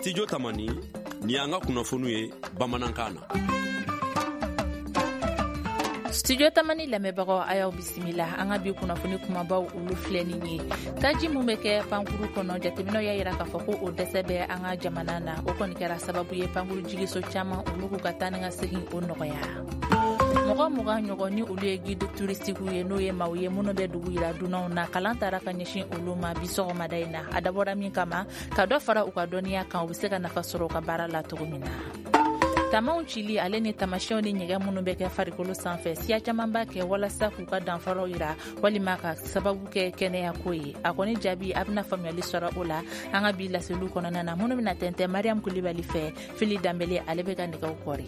Studio Tamani, ni y'an ka kunnafoniw ye bamanankan na. Studio Tamani lamɛnbagaw, a y'aw bisimila. An ka bi kunnafoni kumabaw, olu filɛ nin ye: taji mun bɛ kɛ pankuru kɔnɔ, jateminɛw y'a yira k'a fɔ ko o dɛsɛ bɛ an ka jamana na. O kɔni kɛra sababu ye pankuru jigiso caman, olu k'u ka taa ni ka segin o nɔgɔya. Mɔgɔ 20 ɲɔgɔn ni olu ye guide touristiques ye, n'o ye maaw ye minnu bɛ dugu yira dunanw na, kalan taara ka ɲɛsin olu ma bi sɔgɔmada in na. A dabɔra min kama, ka dɔ fara u ka dɔnniya kan, u bɛ se ka nafa sɔrɔ u ka baara la cogo min na. Tamaw cili ale ni tamasiyɛnw ni ɲɛgɛn minnu bɛ kɛ farikolo sanfɛ, siya caman b'a kɛ walasa k'u ka danfaraw yira walima ka sababu kɛ kɛnɛyako ye. A kɔni jaabi, a bɛna faamuyali sɔrɔ o la an ka bi laseliw kɔnɔna na, minnu bɛna tɛntɛn Mariam Kulibali fɛ. Fili Danbele, ale bɛ ka nɛgɛw kɔri.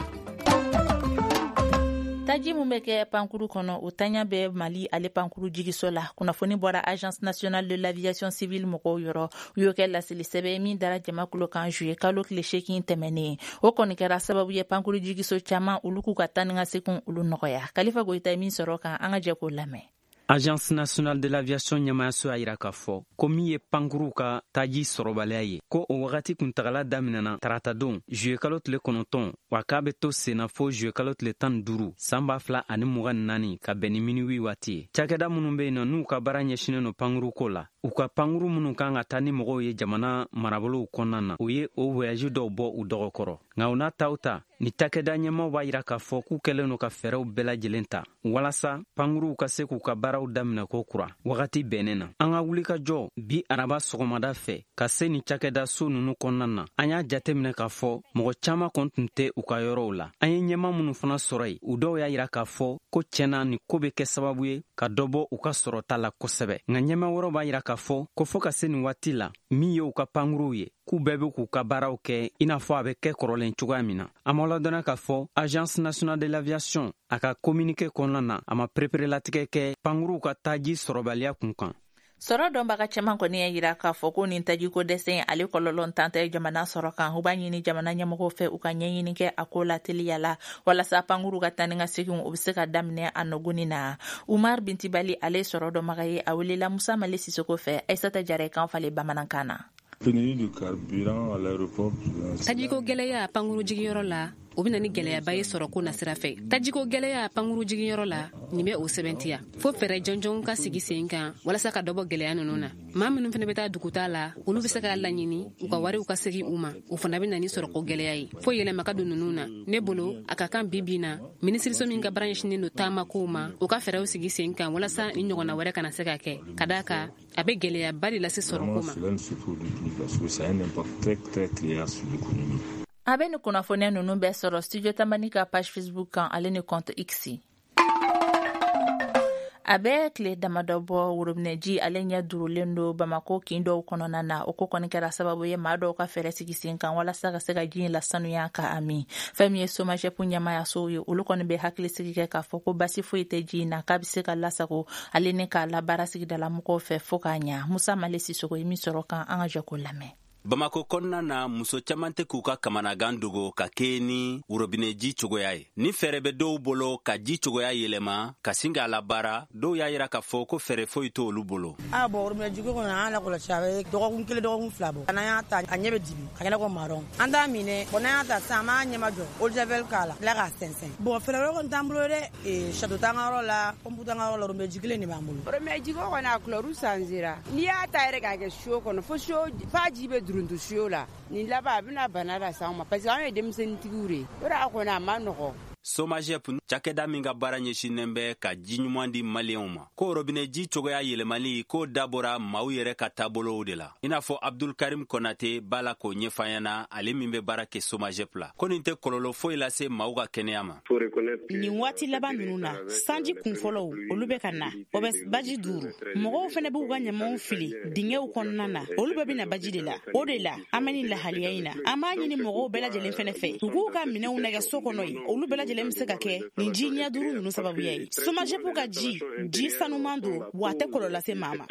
Taji mun bɛ kɛ pankuru kɔnɔ, o taɲa bɛ Mali ale pankuru jigiso la. Kunnafoni bɔra Agence nationale de l'aviation civile mɔgɔw yɔrɔ. U y'o kɛ laseli sɛbɛn min dara jama kulo kan juillet kalo tile 8 tɛmɛnen. O kɔni kɛra sababu ye pankuru jigiso caman, olu k'u ka taa ni ka segin olu nɔgɔya. Kalifa Goyita ye min sɔrɔ kan, an ka jɛ k'o lamɛn. Agence nationale de l'aviation ɲɛmayaso y'a yira k'a fɔ ko min ye pankuruw ka taji sɔrɔbaliya ye, ko o wagati kuntagala daminɛna taratadon juillet kalo tile 9, wa k'a bɛ to senna fo juillet kalo tile 15 san 2024, ka bɛn ni minuit waati ye. Cakɛda minnu be yen nɔ, n'u ka baara ɲɛsinen no pankuruko la, u ka pankuru minnu kan ka taa ni mɔgɔw ye jamana marabolow kɔnɔna na, o ye o voyage dɔw bɔ u dɔgɔkɔrɔ. Nka o n'a taw ta, ni cakɛda ɲɛmaw b'a yira k'a fɔ k'u kɛlen no ka fɛɛrɛw bɛɛ lajɛlen ta walasa pankuruw ka se k'u ka baaraw daminɛ ko kura wagati bɛnnen na. An ka wulikajɔ bi araba sɔgɔmada fɛ ka se ni cakɛda so nunu kɔnɔna na, an y'a jateminɛ k'a fɔ mɔgɔ caaman kɔni tun tɛ u ka yɔrɔw la. An ye ɲɛma minnu fana sɔrɔ yen, u dɔw y'a yira k'a fɔ ko tiɲɛna, nin ko bɛ kɛ sababu ye ka dɔ bɔ u ka sɔrɔta la kosɛbɛ. Nka ɲɛma wɛrɛw b'a yira k'a fɔ ko fɔɔ ka se nin waati la, min ye u ka pankuruw ye, k'u bɛɛ be k'u ka baaraw kɛ i n'a fɔ a bɛ kɛ kɔrɔlen cogoya min na. An b'aw ladɔnniya k'a fɔ Agence nationale de l'aviation, a ka communiqué kɔnɔna na, a ma pereperelatigɛ kɛ pankuruw ka taji sɔrɔbaliya kun kan. Sɔrɔ dɔnbaga caman kɔni y'a yira k'a fɔ ko nin tajiko dɛsɛ, ale kɔlɔlɔ tan tɛ jamana sɔrɔ kan. U b'a ɲini jamana ɲɛmɔgɔw fɛ, u ka ɲɛɲini kɛ a ko la teliya la, walasa pankuru ka taa ni ka segin o bɛ se ka daminɛ a nɔgɔni na. Umar Bintibali, ale sɔrɔ dɔnbaga ye, a welela Musa Male Sisoko fɛ, Aisata Jara kan falen bamanankan na. Tajiko gɛlɛya pankuru jigiyɔrɔ la, o bɛ na ni gɛlɛyaba ye sɔrɔko nasira fɛ. Tajiko gɛlɛya pankuru jigiyɔrɔ la, nin bɛ o sɛbɛntiya fo fɛɛrɛ jɔnjɔnw ka sigi sen kan walasa ka dɔ bɔ gɛlɛya ninnu na. Maa minnu fana bɛ taa duguta la, olu bɛ se k'a laɲini u ka wariw ka segin u ma. O fana bɛ na ni sɔrɔko gɛlɛya ye, fo yɛlɛma ka don ninnu na. Ne bolo, a ka kan bi bi na, minisiriso min ka baara ɲɛsinnen don taamakow ma, o ka fɛɛrɛw sigi sen kan walasa ni ɲɔgɔnna wɛrɛ kana se ka kɛ, ka d'a kan a bɛ gɛlɛyaba de lase sɔrɔko ma. A bɛ ni kunnafoniya ninnu bɛɛ sɔrɔ Studio Tamani ka page Facebook kan, ale ni compte X. A bɛ tile damadɔ bɔ, worobinɛji ale ɲɛ durulen don Bamako kin dɔw kɔnɔna na. O ko kɔni kɛra sababu ye maa dɔw ka fɛɛrɛ sigi sen kan walasa ka se ka ji in lasanuya ka a min. Fɛn min ye SOMAGEP ɲɛmayasow ye, olu kɔni bɛ hakilisigi kɛ k'a fɔ ko basi foyi tɛ ji in na, k'a bɛ se ka lasago ale ni k'a labaara sigidala mɔgɔw fɛ fo k'a ɲa. Musa Male Sisoko ye min sɔrɔ kan, an ka jɛ k'o lamɛn. Bamako kɔnɔna na, muso caman tɛ k'u ka kamanagan dogo ka kɛɲɛ ni worobinɛji cogoya ye. Ni fɛɛrɛ bɛ dɔw bolo ka ji cogoya yɛlɛma ka sin k'a labaara, dɔw y'a yira k'a fɔ ko fɛɛrɛ foyi t'olu bolo. A bɔn, worobinɛ jiko kɔnɔ, an lakɔlɔsi, a bɛ dɔgɔkun 1, dɔgɔkun 2 bɔ. N'an y'a ta, a ɲɛ bɛ dibi ka kɛnɛ ko marron. An t'a minɛ bɔn. N'an y'a ta sisan, an b'a ɲɛma jɔ, eau de javel k'a la, tila k'a sɛnsɛn. Bɔn, fɛɛrɛ wɛrɛ kɔni t'an bolo dɛ. Château t'an ka yɔrɔ la, pompe t'an ka yɔrɔ la, worobinɛ ji kelen de b'an bolo. Worobinɛ jiko kɔni, a couleur changera. N'i y'a ta yɛrɛ k'a kɛ seau kɔnɔ, fo seau f'a ji bɛ duruntu seau la. Nin laban, a bɛna bana las'anw ma, parce que anw ye denmisɛnnintigiw de ye. O de a kɔni, a ma nɔgɔ. SOMAGEP, cakɛda min ka baara ɲɛsinnen bɛ ka ji ɲuman di Maliyɛnw ma, ko robinɛ ji cogoya yɛlɛmali k'o dabɔra maaw yɛrɛ ka taabolow de la, i n'a fɔ Abdulkarim Konate b'a la k'o ɲɛfɔ an ɲɛna, ale min bɛ baara kɛ SOMAGEP la, ko nin tɛ kɔlɔlɔ foyi lase maaw ka kɛnɛya ma. Nin waati laban ninnu na, sanji kunfɔlɔw, olu bɛ ka na, o bɛ baji duuru. Mɔgɔw fɛnɛ b'u ka ɲamaw fili dingɛw kɔnɔna na, olu bɛɛ bɛna baji de la. O de la an bɛ nin lahaliya in na. An b'a ɲini mɔgɔw bɛɛ lajɛlen fɛnɛ fɛ, u k'u ka minɛnw nɛgɛ so kɔnɔ yen. Olu bɛɛ lajɛlen bɛ se ka kɛ nin ji ɲɛ duuru ninnu sababuya ye. SOMAGEP ka ji, ji sanuman don wa, a tɛ kɔlɔlɔ lase maa ma.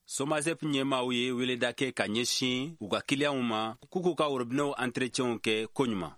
SOMAGEP ɲɛmaaw ye weleda kɛ ka ɲɛsin u ka kiliyanw ma k'u k'u ka worobinɛw entretienw kɛ koɲuman.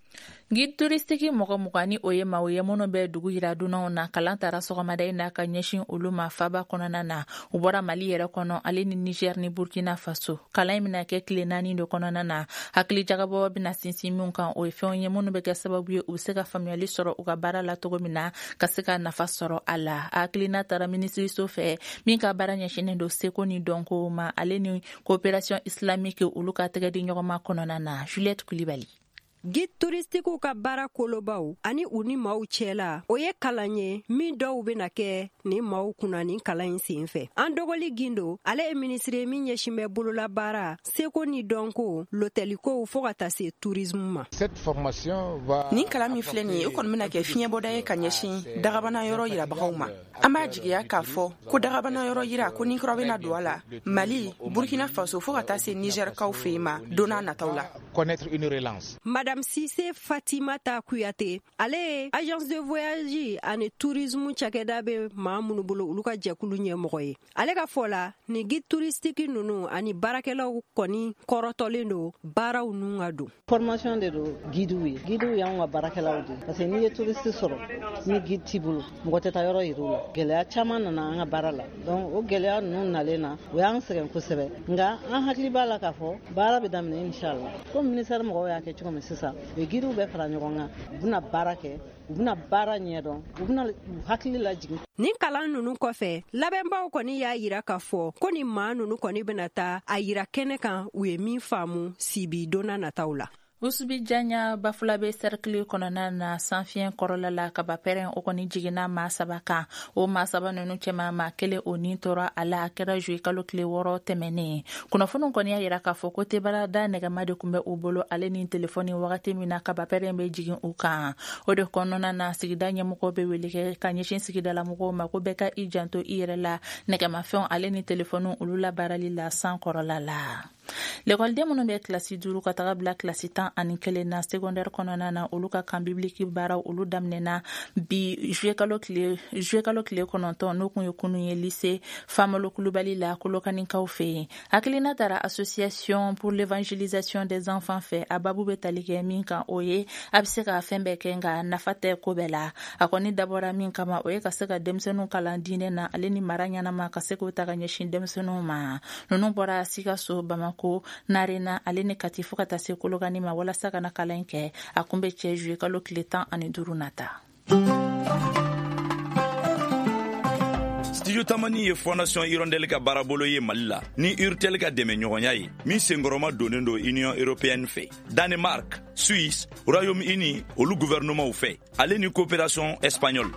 Guide touristique mɔgɔ 20 ni o ye maaw ye minnu bɛ dugu yira dunanw na, kalan tara sɔgɔmada in na ka ɲɛsin olu ma faba kɔnɔna na. U bɔra Mali yɛrɛ kɔnɔ, ale ni Niger ni Burkina Faso. Kalan in bɛna kɛ tile 4 de kɔnɔna na. Hakili jagabɔ bɛna sinsin min kan, o ye fɛnw ye minnu bɛ kɛ sababu ye u bɛ se ka faamuyali sɔrɔ u ka baara la cogo min na, ka se ka nafa sɔrɔ a la. Hakilina tara minisiriso fɛ min ka baara ɲɛsinnen don seko ni dɔnko ma, ale ni coopération islamique, olu ka tɛgɛ di ɲɔgɔn ma kɔnɔna na. Juliette Kulibali. Guide touristiquew ka baara kolobaw ani u ni maaw cɛla, o ye kalan ye min dɔw bena kɛ ni maaw kunna nin kalan in sen fɛ. An dɔgɔli Gindo, ale ye minisiri min ɲɛsin bɛ bololabaara, seko ni dɔnko, lotɛlikow, fɔɔ ka taa se tourisme ma. Nin kalan min filɛ nin ye, o kɔni bɛna kɛ fiɲɛbɔda ye ka ɲɛsin dagabana yɔrɔ yirabagaw ma. An b'a jigiya k'a fɔ ko dagabana yɔrɔ yira ko ni kura bɛna don a la Mali, Burkina Faso, fɔɔ ka taa se Nizɛrikaw fɛ yen ma don n'a nataw la. Madame Sise Fatimata Kuyate, ale ye agence de voyage ani tourisme cakɛda bɛ maa minnu bolo, olu ka jɛkulu ɲɛmɔgɔ ye. Ale ka fɔ la, ni guide touristique ninnu ani baarakɛlaw kɔni kɔrɔtɔlen don baaraw nun ka don. Formation de don guidew ye. Guidew y'anw ka baarakɛlaw de, parce que n'i ye touriste sɔrɔ, ni guide t'i bolo, mɔgɔ tɛ taa yɔrɔ yir'u la. Gɛlɛya caman nana an ka baara la. Donc o gɛlɛya ninnu nalen na, o y'an sɛgɛn kosɛbɛ, nka an hakili b'a la k'a fɔ baara bɛ daminɛ inshallah. Komi ministère mɔgɔw y'a kɛ cogo min sisan, u ye guidew bɛɛ fara ɲɔgɔn kan, u bɛna baara kɛ, u bɛna baara ɲɛdɔn, u bɛna u hakili lajigin. Nin kalan ninnu kɔfɛ, labɛnbaw kɔni y'a yira k'a fɔ ko nin maa ninnu kɔni bɛna taa a yira kɛnɛ kan u ye min faamu sibi donna nataw la. Usubi Janya, Bafulabe cercle kɔnɔna na, sanfiɲɛ kɔrɔla la, kaba pɛrɛn o kɔni jiginna maa 3 kan. O maa 3 ninnu cɛma, maa 1 o nin tora a la. A kɛra juillet kalo tile 6 tɛmɛnen. Kunnafoniw kɔni y'a yira k'a fɔ ko tebarada nɛgɛma de tun bɛ u bolo, ale ni telefɔni, wagati min na kaba pɛrɛn bɛ jigin u kan. O de kɔnɔna na, sigida ɲɛmɔgɔw bɛ wele kɛ ka ɲɛsin sigidalamɔgɔw ma ko bɛɛ ka i janto i yɛrɛ la nɛgɛmafɛnw ale ni telefɔniw olu labaarali la san kɔrɔla la. Lekɔliden minnu bɛ kilasi 5 ka taga bila kilasi 11 na secondaire kɔnɔna na, olu ka camp biblique baaraw olu daminɛna bi juillet kalo tile 9, n'o kun ye kunun ye, lycée Famalo Kulubali la, Kolokanikaw fɛ yen. Hakilina tara association pour l'évangélisation des enfants fɛ. A babu bɛ tali kɛ min kan, o ye a bɛ se ka fɛn bɛɛ kɛ, nka nafa tɛ ko bɛɛ la. A kɔni dabɔra min kama, o ye ka se ka denmisɛnninw kalan diinɛ na, ale ni mara ɲɛnama, ka se k'o ta ka ɲɛsin denmisɛnninw ma. Ninnu bɔra Sikaso, Bamako, Narena, ale ni Kati, fo ka taa se Kolokani ma, walasa ka na kalan kɛ. A kun bɛ cɛ juillet kalo tile 15 nata. Studio Tamani ye Fondation Hirondelle ka baarabolo ye Mali la ni Urtel ka dɛmɛɲɔgɔnya ye, min senkɔrɔma donnen don Union européenne fɛ, Danemark, Suisse, Royaume-Uni olu gouvernementw fɛ, ale ni coopération espagnole.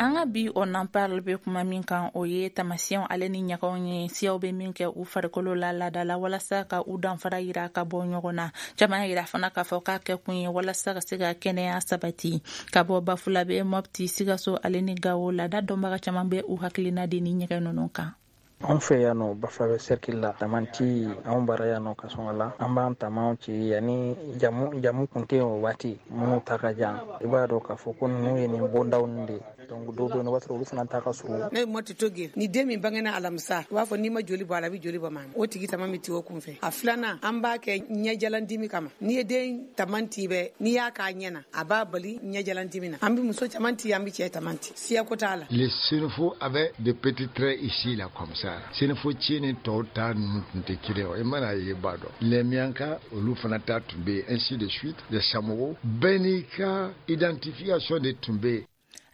An ka bi On en parle bɛ kuma min kan, o ye tamasiyɛnw ale ni ɲagaw ye, siyaw bɛ min kɛ u farikolo la laada la walasa ka u danfara yira ka bɔ ɲɔgɔn na. Caman yira fana k'a fɔ k'a kɛ kun ye walasa ka se ka kɛnɛya sabati. Ka bɔ Bafulabe, Mopti, Sikaso ale ni Gawo, laada dɔnbaga caman bɛ u hakilina di ni ɲɛgɛn ninnu kan. Anw fɛ yan nɔ, Bafulabe cercle la, tamanti anw bara yan nɔ Kasɔnga la, an b'an tamaw ci yanni jamu kun tɛ yen o waati. Minnu ta ka jan, i b'a dɔn k'a fɔ ko ninnu ye nin bondaw nin de. Donc dɔw bɛ yen, o b'a sɔrɔ olu fana ta ka surun. Ne ye Mɔti Toge. Ni den min bangena alamisa, u b'a fɔ n'i ma joli bɔ a la, a bɛ joli bɔ maa o tigi tama min ti o kun fɛ. A filanan, an b'a kɛ ɲɛjalandimi kama. N'i ye den taman ti bɛ, n'i y'a k'a ɲɛ na, a b'a bali ɲɛjalandimi na. An bɛ muso caman ti, an bɛ cɛ taman ti, siyako t'a la. Les Sénoufos avaient de petits traits ici là comme ça. Sénoufo ci ni tɔw ta ninnu tun tɛ kelen ye, i mana ye, b'a dɔn. Les Mianka, olu fana ta tun bɛ yen, ainsi de suite. Les Samogo, bɛɛ n'i ka identification de tun bɛ yen.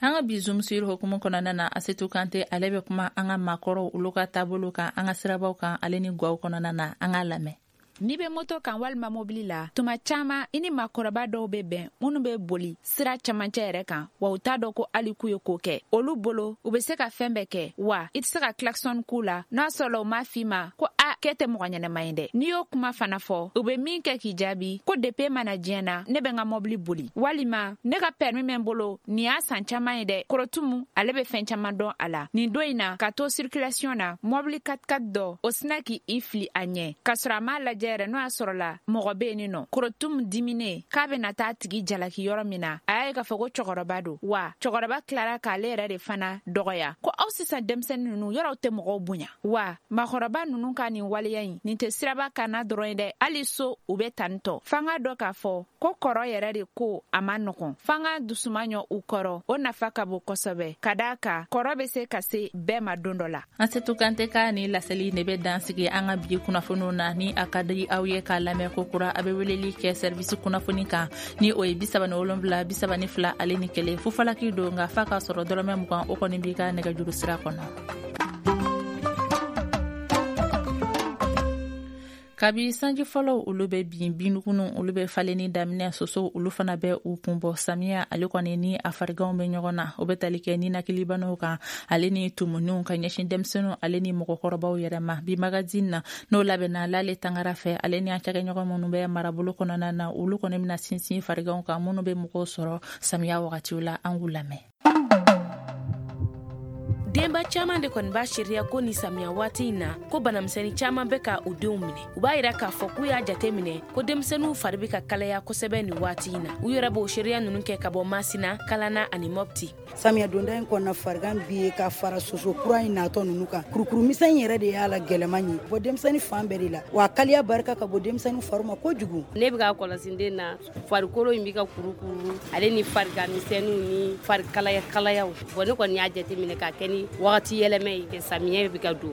An ka bi Zoom sur hukumu kɔnɔna na, Asetu Kante, ale bɛ kuma an ka maakɔrɔw olu ka taabolo kan an ka sirabaw kan ale ni gaw kɔnɔna na. An k'a lamɛn. N'i bɛ moto kan walima mobili la, tuma caman i ni maakɔrɔba dɔw bɛ bɛn minnu bɛ boli sira camancɛ yɛrɛ kan, wa u t'a dɔn ko hali k'u ye ko kɛ. Olu bolo, u bɛ se ka fɛn bɛɛ kɛ, wa i tɛ se ka klaxon k'u la n'a sɔrɔla u m'a f'i ma ko a k'e tɛ mɔgɔ ɲɛnɛma ye dɛ. N'i y'o kuma fana fɔ, u bɛ min kɛ k'i jaabi ko depuis mana diɲɛ na, ne bɛ n ka mobili boli, walima ne ka permis bɛ n bolo, nin y'a san caman ye dɛ. Korotumu ale bɛ fɛn caman dɔn a la. Nin don in na, ka to circulation na, mobili 4x4 dɔ o sina k'i fili a ɲɛ k'a sɔrɔ a m'a lajɛ. lajɛ yɛrɛ n'o y'a sɔrɔla mɔgɔ bɛ yen nɔ. Korotum diminen k'a bɛna taa tigi jalaki yɔrɔ min na, a y'a ye k'a fɔ ko cɛkɔrɔba don, wa cɛkɔrɔba tilara k'ale yɛrɛ de fana dɔgɔya ko aw sisan denmisɛnnin ninnu yɔrɔw tɛ mɔgɔw bonya. Wa maakɔrɔba ninnu ka nin waleya in, nin tɛ siraba kanna dɔrɔn ye dɛ, hali so u bɛ tan tɔ. F'an k'a dɔn k'a fɔ ko kɔrɔ yɛrɛ de ko a ma nɔgɔn, f'an ka dusuma ɲɔ u kɔrɔ, o nafa ka bon kosɛbɛ, ka d'a kan kɔrɔ bɛ se ka se bɛɛ ma don dɔ la. An setu Kante ka ni laseli de bɛ dan sigi an ka bi kunnafoniw na. Ni a ka di aw ye k'a lamɛn ko kura, a bɛ weleli kɛ service kunnafoni kan ni o ye 37 32 ale ni 1. Fufalaki don, nka f'a k'a sɔrɔ dɔrɔmɛ 20 o kɔni b'i ka nɛgɛjuru sira kɔnɔ. Kabi sanji fɔlɔw olu bɛ bin, binnugunu olu bɛ falenni daminɛ, sosow olu fana bɛ u kun bɔ. Samiya ale kɔni ni a fariganw bɛ ɲɔgɔn na, o bɛ tali kɛ ninakilibanaw kan ale ni tumuniw ka ɲɛsin denmisɛnninw ale ni mɔgɔkɔrɔbaw yɛrɛ ma. Bi magazine na, n'o labɛnna Lale Tangara fɛ, ale ni an cakɛɲɔgɔn minnu bɛ marabolo kɔnɔna na, olu kɔni bɛna sinsin fariganw kan minnu bɛ mɔgɔw sɔrɔ samiya wagatiw la. An k'u lamɛn. Denba caaman de kɔni b'a seereya ko ni samiya waati in na, ko banamisɛnni caaman bɛ ka u denw minɛ. U b'a yira k'a fɔ k'u y'a jate minɛ ko denmisɛnninw fari bɛ ka kalaya kosɛbɛ nin waati in na. U yɛrɛ b'o seereya ninnu kɛ ka bɔ Masina, Kalana ani Mɔpti. Samiya donda in kɔnɔna, farigan bi ye ka fara soso kura in natɔ ninnu kan. Kurukuru misɛn yɛrɛ de y'a la gɛlɛman ye bɔ denmisɛnnin fan bɛɛ de la, wa kaliya barika ka bɔ denmisɛnnin fari ma kojugu. Ne bɛ ka kɔlɔsi den na, farikolo in bɛ ka kurukuru, ale ni farigan misɛnninw ni fari kalaya kalayaw. Bɔn, ne kɔni y'a jate minɛ k'a kɛ ni wagati yɛlɛmɛ ye, samiyɛ bɛ ka don.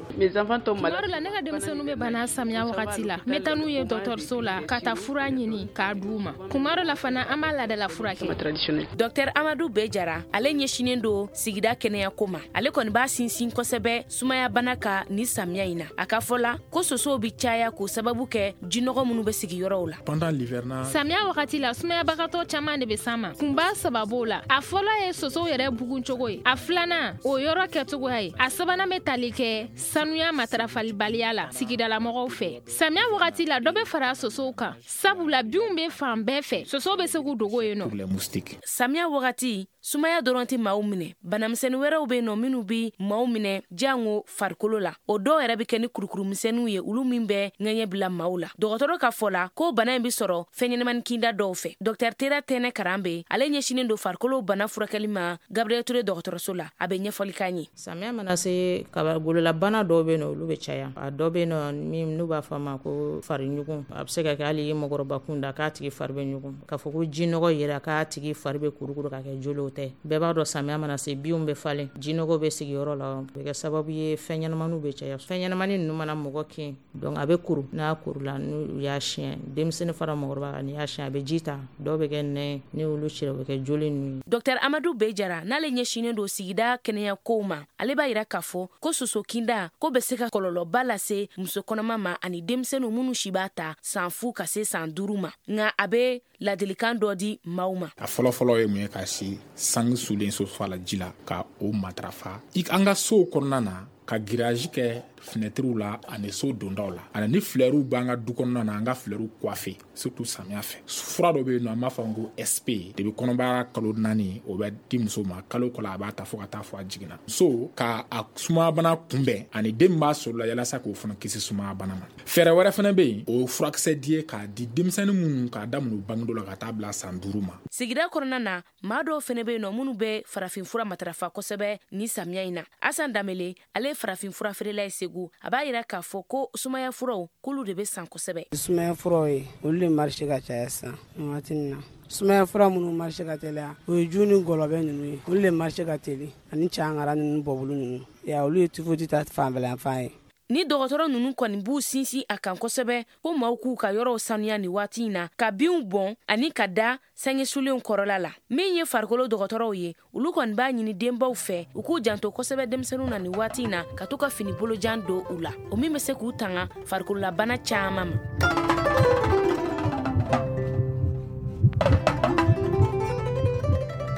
Tuma dɔ la, ne ka denmisɛnninw bɛ bana samiya wagati la, n bɛ taa n'u ye dɔgɔtɔrɔso la ka taa fura ɲini k'a d'u ma. Kuma dɔ la fana, an b'a ladala fura kɛ. Dɔktɛr Amadu Be Jara, ale ɲɛsinen don sigida kɛnɛyako ma. Ale kɔni b'a sinsin kosɛbɛ sumaya bana ka ni samiya in na. A ka fɔ la ko sosow bi caya k'o sababu kɛ jinɔgɔ minnu bɛ sigi yɔrɔw la. Samiya wagati la, sumayabagatɔ caman de bɛ s'an ma. Kunba saba b'o la. A fɔlɔ ye sosow yɛrɛ bugun cogo ye, a filanan o yɔrɔ kɛcogoya ye, a sabanan bɛ tali kɛ sanuya matarafalibaliya la sigidalamɔgɔw fɛ. Samiya wagati la, dɔ bɛ fara sosow kan, sabula binw bɛ fan bɛɛ fɛ, sosow bɛ se k'u dogo yen nɔ. Samiya wagati, sumaya dɔrɔn tɛ maaw minɛ, banamisɛnnin wɛrɛw bɛ nɔ minnu bi maaw minɛ jango farikolo la. O dɔw yɛrɛ bɛ kɛ ni kurukurumisɛnninw ye, olu min bɛ ŋɛɲɛ bila maaw la. Dɔgɔtɔrɔ ka fɔ la ko bana in bɛ sɔrɔ fɛn ɲɛnamani kinda dɔw fɛ. Dɔktɛr Tera Tɛnɛ Karanbe, ale ɲɛsinen don farikolo bana furakɛli ma Gabriel Ture dɔgɔtɔrɔso la, a bɛ ɲɛfɔli k'an ye. Samiya mana se, kaba gololabana dɔw bɛ yen nɔ, olu bɛ caya. A dɔ bɛ yen nɔ min n'u b'a fɔ a ma ko fariɲugun. A bɛ se ka kɛ hali mɔgɔkɔrɔba kunda k'a tigi fari bɛ ɲugun, k'a fɔ ko jinɔgɔ yɛrɛ k'a tigi fari bɛ kurukuru ka kɛ joli, o tɛ. Bɛɛ b'a dɔn, samiya mana se, binw bɛ falen, jinɔgɔ bɛ sigi yɔrɔ la, o bɛ kɛ sababu ye fɛn ɲɛnamaniw bɛ caya. Fɛn ɲɛnamani ninnu mana mɔgɔ kin, donc a bɛ kuru. N'a kurula, n'u y'a siɲɛ, denmisɛnnin fara mɔgɔkɔrɔba kan, n'i y'a siɲɛ, a bɛ ji ta, dɔw bɛ kɛ nɛn, ni olu cira, o bɛ kɛ joli ninnu ye. Dɔktɛr Amadu Be Jara, n'ale ɲɛsinen don sigida kɛnɛya kow ma, ale b'a yira k'a fɔ ko soso kinda ko bɛ se ka kɔlɔlɔba lase muso kɔnɔma ma ani denmisɛnninw minnu si b'a ta san 0 ka se san 5 ma. Nka a bɛ ladilikan dɔ di maaw ma. A fɔlɔfɔlɔ ye mun ye? Ka si sange sulen soso la ji la, ka o matarafa. An ka sow kɔnɔna na, ka grillage kɛ finɛtiriw la ani so dondaw la, ani ni fleurw b'an ka du kɔnɔna na, an ka fleurw coiffer, surtout samiya fɛ. Fura dɔ bɛ yen nɔ, an b'a fɔ ko SP de bɛ kɔnɔbara kalo 4, o bɛ di muso ma kalo kalo, a b'a ta fo ka taa fɔ a jiginna so, ka a sumayabana kunbɛn ani den min b'a sɔrɔ la, yalasa k'o fana kisi sumayabana ma. Fɛɛrɛ wɛrɛ fana bɛ yen, o ye furakisɛ di ye k'a di denmisɛnnin minnu k'a daminɛ u bangedɔ la ka taa bila san 5 ma. Sigida kɔnɔna na, maa dɔw fɛnɛ bɛ yen nɔ minnu bɛ farafinfura matarafa kosɛbɛ ni samiya in na. Asan Danbele, ale ye farafinfura feerela ye Segu, a b'a yira k'a fɔ ko sumaya furaw, k'olu de bɛ san kosɛbɛ. Sumaya furaw ye, olu de marché ka caya sisan nin waati in na. Sumaya fura minnu marché ka teliya, o ye ju ni gɔlɔbɛ ninnu ye, olu de marché ka teli, ani cangara ninnu, bɔbulu ninnu ya, olu ye typhoïde ta fanfɛla fan ye. Ni dɔgɔtɔrɔ ninnu kɔni b'u sinsin a kan kosɛbɛ ko maaw k'u ka yɔrɔw sanuya ni waati in na, ka binw bɔn ani ka da sange sulenw kɔrɔla la. Min ye farikolo dɔgɔtɔrɔw ye, olu kɔni b'a ɲini denbaw fɛ u k'u janto kosɛbɛ denmisɛnninw na ni waati in na, ka to ka fini bolojan don u la, o min bɛ se k'u tanga farikololabana caaman ma.